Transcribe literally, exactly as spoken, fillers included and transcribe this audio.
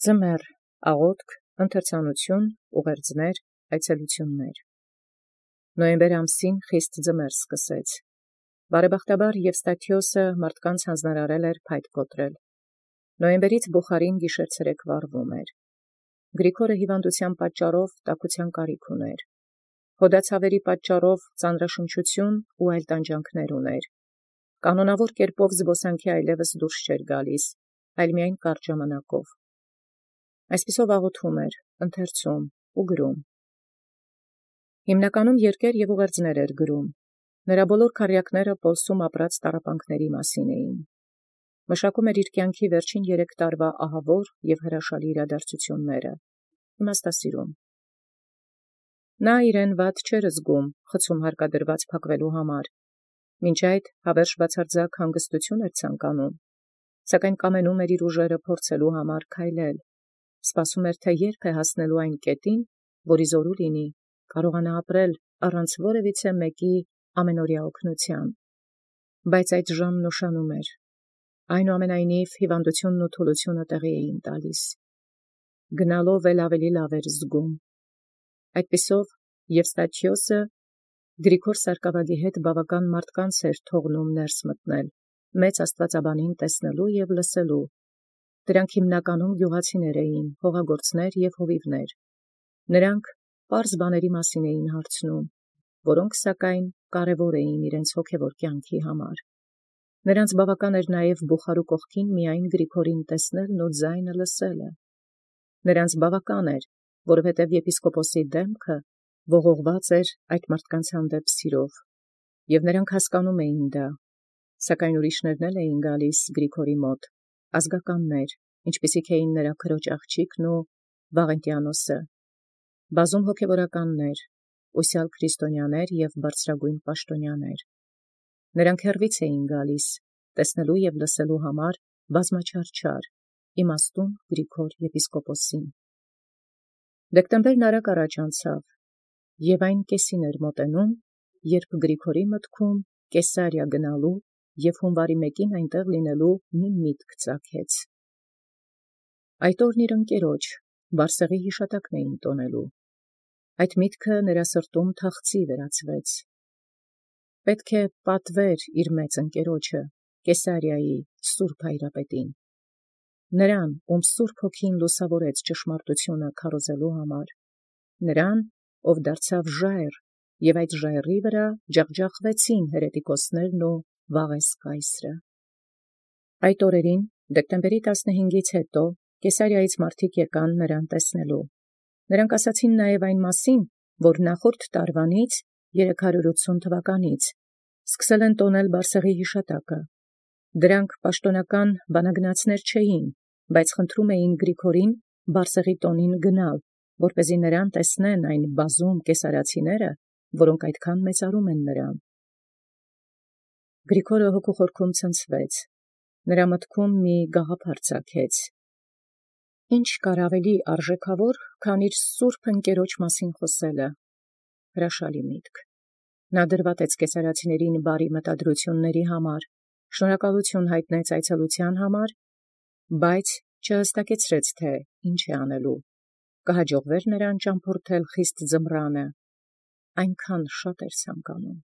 Ձմեռ, աղոթք, ընթերցանություն, ուղերձներ, այցելություններ։ Նոյեմբեր ամսին խիստ ձմեռ սկսեց։ Բարեբախտաբար Եվստաթիոսը մարդկանց հանձնարարել էր փայտ կոտրել։ Նոյեմբերից Բուխարին գիշեր-ցերեկ վառվում էր։ Գրիգորը հիվանդության պատճառով տաքության կարիք ուներ։ Հոդացավերի պատճառով ծանրաշնչություն ու այլ տանջանքներ ուներ։ Կանոնավոր կերպով զբոսանքի այլևս դուրս չէր գալիս, այլ միայն կարճ ժամանակով։ Այսպիսով աղոթում էր, ընթերցում ու գրում։ Հիմնականում երկեր և ուղերձներ էր գրում։ Նրա բոլոր քառյակները Պոլսում ապրած տառապանքների մասին էին։ Մշակում էր իր կյանքի վերջին երեք տարվա ահավոր և հրաշալի իրադարձությունները, իմաստասիրում։ Նա իրեն վատ չէր զգում խցում հարկադրված փակվելու համար, մինչ այդ հավերժ բացարձակ հանգստություն էր ցանկանում, սակայն կամենում էր իր ուժերը փորձելու համար քայլել, սպասում էր, թե երբ է հասնելու այն կետին, որի զորու լինի, կարողանա ապրել առանց որևիցե մեկի ամենօրյա օգնության, բայց այդ ժամն ուշանում էր, այնուամենայնիվ հիվանդությունն ու թուլությունը տեղի էին տալիս, գնալով էլ ավելի լավ էր զգում։ Այդպիսով Եվստաթիոսը Գրիգոր Սարկավագի հետ բավական մարդկանց էր թողնում ներս մտնել, մեծ աստվածաբանին տեսնելու և լսելու։ Դրանք հիմնականում գյուղացիներ էին, հողագործներ և հովիվներ։ Նրանք պարզ բաների մասին էին հարցնում, որոնք սակայն կարևոր էին իրենց հոգևոր կյանքի համար։ Նրանց բավական էր նաև Բուխարու կողքին միայն Գրիգորին տեսնելն ու ձայնը լսելը։ Նրանց բավական էր, որովհետև եպիսկոպոսի դեմքը ողողված էր այդ մարդկանց հանդեպ սիրով, և նրանք հասկանում էին դա, սակայն ուրիշներն էլ էին գալիս Գրիգորի մոտ, ազգականներ, ինչպիսիք էին նրա քրոջ աղջիկն ու Վաղենտիանոսը, բազում հոգևորականներ, ուսյալ քրիստոնյաներ և բարձրագույն պաշտոնյաներ։ Նրանք հեռվից էին գալիս, տեսնելու և լսելու համար բազմաչարչար, իմաստուն Գրիգոր եպիսկոպոսին։ Դեկտեմբերն արագ առաջ անցավ, և այն կեսին էր մոտենում, երբ Գրիգորի մտքում Կեսարիա գնալու և հունվարի մեկին այնտեղ լինելու մի միտք ծագեց։ Այդ օրն իր ընկերոջ Բարսեղի հիշատակն էին տոնելու։ Այդ միտքը նրա սրտում թախծի վերածվեց։ Պետք է պատվեր իր մեծ ընկերոջը, Կեսարիայի սուրբ հայրապետին, նրան, ում սուրբ հոգին լուսավորեց ճշմարտությունը քարոզելու համար, նրան, ով դարձավ ժայռ, և այդ ժայռի վրա ջախջախվեցին հերետիկոսներն ու Վաղես կայսրը։ Այդ օրերին, դեկտեմբերի տասնհինգից հետո, Կեսարիայից մարդիկ եկան նրան տեսնելու։ Նրանք ասացին նաև այն մասին, որ նախորդ տարվանից, երեք հարյուր ութսուն թվականից, սկսել են տոնել Բարսեղի հիշատակը։ Դրանք պաշտոնական բանագնացներ չէին, բայց խնդրում էին Գրիգորին Բարսեղի տոնին գնալ, որպեսզի նրան տեսնեն այն բազում կեսարացիները, որոնք այդքան մեծարում են նրան։ Գրիգորը հոգու խորքում ցնցվեց, նրա մտքում մի գաղափար ծագեց։ Ինչ կար ավելի արժեքավոր, քան իր սուրբ ընկերոջ մասին խոսելը։ Հրաշալի միտք։ Նա դրվատեց կեսարացիներին բարի մտադրությունների համար, շնորհակալություն հայտնեց այցելության համար, բայց չհստակեցրեց, թե ինչ է անելու, կհաջողվեր նրան ճամփորդել խիստ ձմռանը, այնքան շատ էր ցանկանում։